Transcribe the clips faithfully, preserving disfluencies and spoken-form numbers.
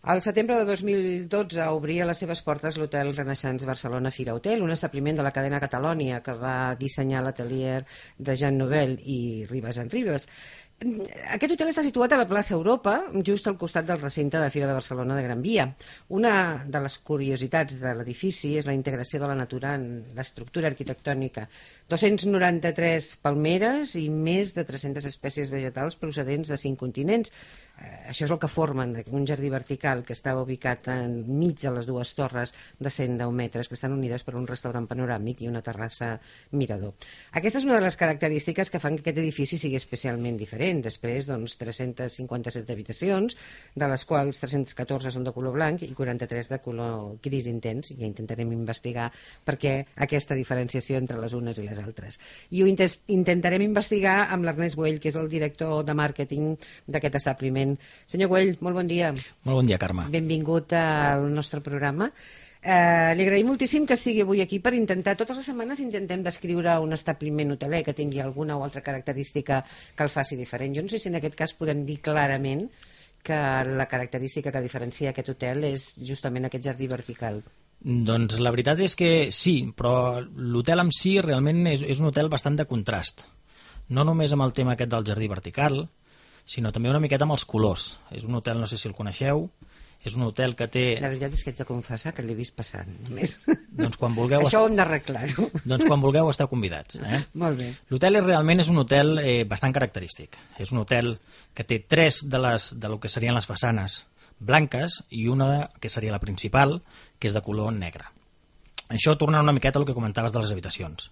Al setembre de dos mil dotze obria les seves portes l'hotel Renaissance Barcelona Fira Hotel, un establiment de la cadena Catalònia que va dissenyar l'atelier de Jean Nouvel i Ribas en Ribas. Aquest hotel està situat a la plaça Europa, just al costat del recinte de Fira de Barcelona de Gran Via. Una de les curiositats de l'edifici és la integració de la natura en l'estructura arquitectònica. dos-cents noranta-tres palmeres i més de tres-centes espècies vegetals procedents de cinc continents. Eh, això és el que formen un jardí vertical que està ubicat enmig de les dues torres de cent deu metres que estan unides per un restaurant panoràmic i una terrassa mirador. Aquesta és una de les característiques que fan que aquest edifici sigui especialment diferent. Després, doncs, tres-centes cinquanta-set habitacions, de les quals tres-centes catorze són de color blanc i quaranta-tres de color gris intens. Ja intentarem investigar per què aquesta diferenciació entre les unes i les altres. I ho intentarem investigar amb l'Ernest Güell, que és el director de màrqueting d'aquest establiment. Senyor Güell, molt bon dia. Molt bon dia, Carme. Benvingut al nostre programa. Eh, li agraïm moltíssim que estigui avui aquí per intentar, totes les setmanes intentem descriure un establiment hoteler que tingui alguna o altra característica que el faci diferent. Jo no sé si en aquest cas podem dir clarament que la característica que diferencia aquest hotel és justament aquest jardí vertical. Doncs la veritat és que sí, però l'hotel en si realment és, és un hotel bastant de contrast. No només amb el tema aquest del jardí vertical, sinó també una miqueta amb els colors. És un hotel, no sé si el coneixeu, és un hotel que té... La veritat és que haig de confessar que l'he vist passant, només. Doncs quan vulgueu... Això ho hem d'arreglar-ho. Doncs quan vulgueu esteu convidats. Eh? Molt bé. L'hotel és, realment és un hotel eh, bastant característic. És un hotel que té tres de, les, de lo que serien les façanes blanques i una que seria la principal, que és de color negre. Això torna una miqueta al que comentaves de les habitacions.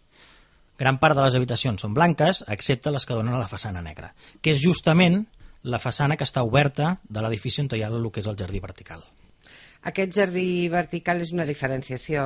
Gran part de les habitacions són blanques, excepte les que donen a la façana negra, que és justament la façana que està oberta de l'edifici on hi ha el que és el jardí vertical. Aquest jardí vertical és una diferenciació,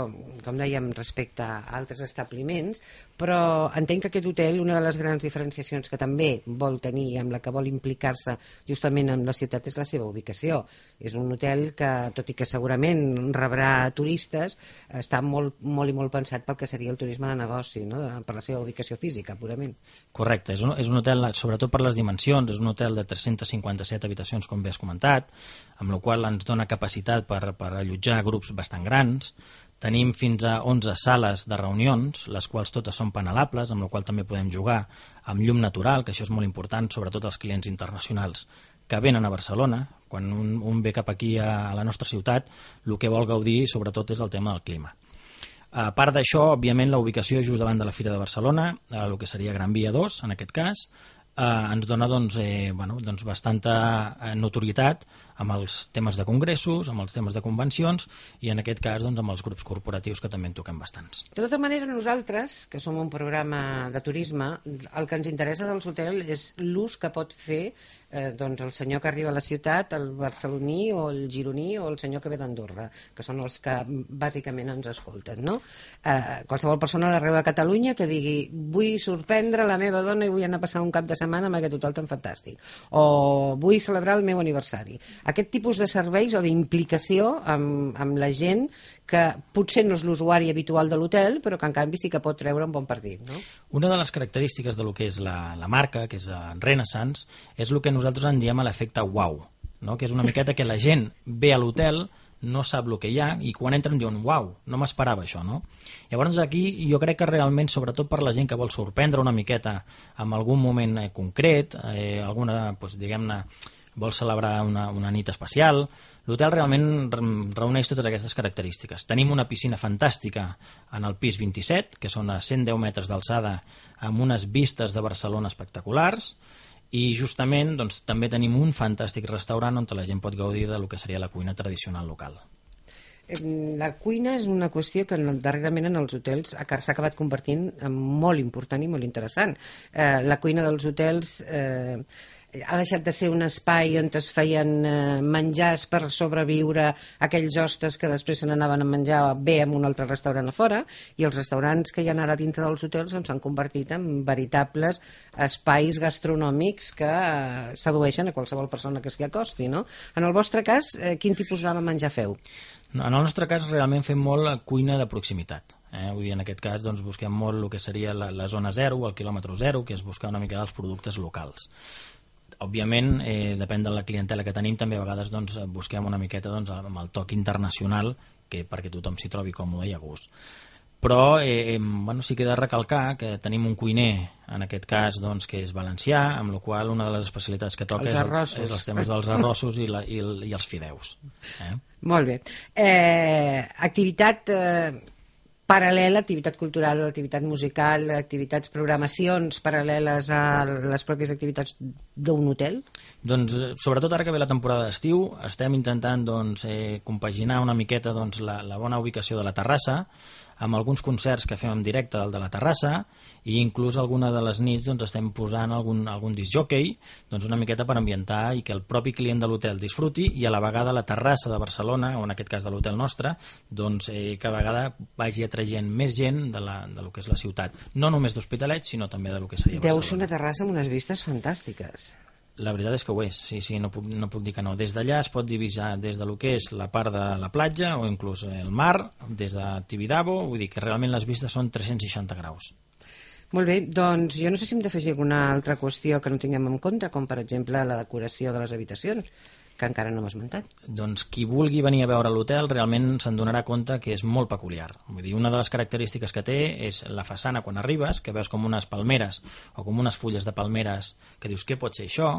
com dèiem, respecte a altres establiments, però entenc que aquest hotel, una de les grans diferenciacions que també vol tenir, amb la que vol implicar-se justament amb la ciutat, és la seva ubicació. És un hotel que, tot i que segurament rebrà turistes, està molt, molt i molt pensat pel que seria el turisme de negoci, no? Per la seva ubicació física, purament. Correcte, és un, és un hotel, sobretot per les dimensions, és un hotel de tres-centes cinquanta-set habitacions, com bé has comentat, amb la qual ens dona capacitat per per allotjar grups bastant grans. Tenim fins a onze sales de reunions, les quals totes són panelables, amb la qual també podem jugar amb llum natural, que això és molt important, sobretot als clients internacionals que venen a Barcelona. Quan un, un ve cap aquí a, a la nostra ciutat, el que vol gaudir sobretot és el tema del clima. A part d'això, òbviament, la ubicació just davant de la Fira de Barcelona, el que seria Gran Via dos, en aquest cas, Eh, ens dona doncs, eh, bueno, doncs bastanta eh, notorietat amb els temes de congressos, amb els temes de convencions i en aquest cas doncs, amb els grups corporatius que també en toquem bastants. De tota manera, nosaltres, que som un programa de turisme, el que ens interessa dels hotels és l'ús que pot fer eh, doncs el senyor que arriba a la ciutat, el barceloní o el gironí o el senyor que ve d'Andorra, que són els que bàsicament ens escolten, no? Eh, qualsevol persona d'arreu de Catalunya que digui vull sorprendre la meva dona i vull anar a passar un cap de setmana amb aquest hotel tan fantàstic, o vull celebrar el meu aniversari. Aquest tipus de serveis o d'implicació amb, amb la gent que potser no és l'usuari habitual de l'hotel, però que en canvi sí que pot treure un bon partit, no? Una de les característiques de lo que és la, la marca, que és Renaissance, és el que nosaltres en diem l'efecte wow, no? Que és una miqueta que la gent ve a l'hotel, no sap el que hi ha i quan entren diuen uau, no m'esperava això, no? Llavors aquí jo crec que realment, sobretot per la gent que vol sorprendre una miqueta amb algun moment eh, concret, eh, alguna, doncs, diguem-ne, vol celebrar una, una nit especial, l'hotel realment reuneix totes aquestes característiques. Tenim una piscina fantàstica en el pis vint-i-set, que són a cent deu metres d'alçada amb unes vistes de Barcelona espectaculars, i justament doncs, també tenim un fantàstic restaurant on la gent pot gaudir del que seria la cuina tradicional local. La cuina és una qüestió que darrerament en els hotels s'ha acabat convertint en molt important i molt interessant. Eh, la cuina dels hotels eh, ha deixat de ser un espai on es feien eh, menjars per sobreviure aquells hostes que després se n'anaven a menjar bé en un altre restaurant a fora, i els restaurants que hi ha ara dintre dels hotels s'han convertit en veritables espais gastronòmics que eh, sedueixen a qualsevol persona que s'hi acosti, no? En el vostre cas, eh, quin tipus de menjar feu? En el nostre cas realment fem molt la cuina de proximitat. Eh? Vull dir, en aquest cas doncs, busquem molt el que seria la, la zona zero, el quilòmetre zero, que és buscar una mica dels productes locals. òbviament, eh, depèn de la clientela que tenim, també a vegades doncs, busquem una miqueta doncs, amb el toc internacional, que perquè tothom s'hi trobi còmode i a gust. Però eh, bueno, sí que he de recalcar que tenim un cuiner, en aquest cas doncs, que és valencià, amb la qual una de les especialitats que toca és, el, és els temes dels arrossos i, la, i, el, i els fideus. Eh? Molt bé. Eh, activitat eh, paral·lela, activitat cultural, activitat musical, activitats, programacions paral·leles a les pròpies activitats d'un hotel? Doncs, sobretot ara que ve la temporada d'estiu, estem intentant doncs, eh, compaginar una miqueta doncs, la, la bona ubicació de la terrassa amb alguns concerts que fem en directe del de la terrassa, i inclús alguna de les nits doncs, estem posant algun, algun disc jockey, doncs, una miqueta per ambientar i que el propi client de l'hotel disfruti, i a la vegada la terrassa de Barcelona, o en aquest cas de l'hotel nostre, doncs, eh, que a vegada vagi atraient més gent de, la, de lo que és la ciutat, no només d'Hospitalet, sinó també de lo que seria Barcelona. Deu ser una terrassa amb unes vistes fantàstiques. La veritat és que ho és, sí, sí, no puc, no puc dir que no. Des d'allà es pot divisar des de lo que és la part de la platja o inclús el mar, des de Tibidabo, vull dir que realment les vistes són tres-cents seixanta graus. Molt bé, doncs jo no sé si hem d'afegir alguna altra qüestió que no tinguem en compte, com per exemple la decoració de les habitacions, que encara no hem esmentat. Doncs qui vulgui venir a veure l'hotel realment se'n donarà compte que és molt peculiar. Vull dir, una de les característiques que té és la façana quan arribes, que veus com unes palmeres o com unes fulles de palmeres que dius què pot ser això,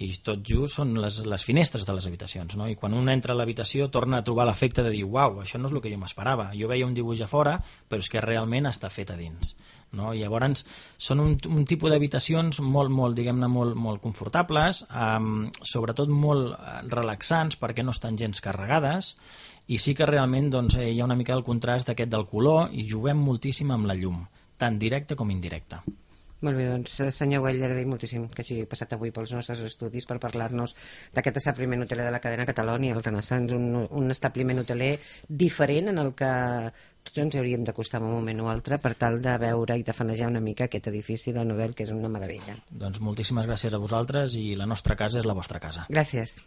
i tot just són les, les finestres de les habitacions, no? I quan un entra a l'habitació torna a trobar l'efecte de dir uau, això no és el que jo m'esperava, jo veia un dibuix a fora però és que realment està fet a dins, no? I llavors són un, un tipus d'habitacions molt, molt, diguem-ne, molt, molt confortables, um, sobretot molt relaxants perquè no estan gens carregades, i sí que realment doncs, hi ha una mica el contrast aquest del color, i juguem moltíssim amb la llum, tant directa com indirecta. Molt bé, doncs senyor Güell, li agraïm moltíssim que hagi passat avui pels nostres estudis per parlar-nos d'aquest establiment hoteler de la cadena Catalonia, el Renaissance, un, un establiment hoteler diferent en el que tots ens hauríem d'acostar en un moment o altre per tal de veure i de fanejar una mica aquest edifici de Nobel, que és una meravella. Doncs moltíssimes gràcies a vosaltres, i la nostra casa és la vostra casa. Gràcies.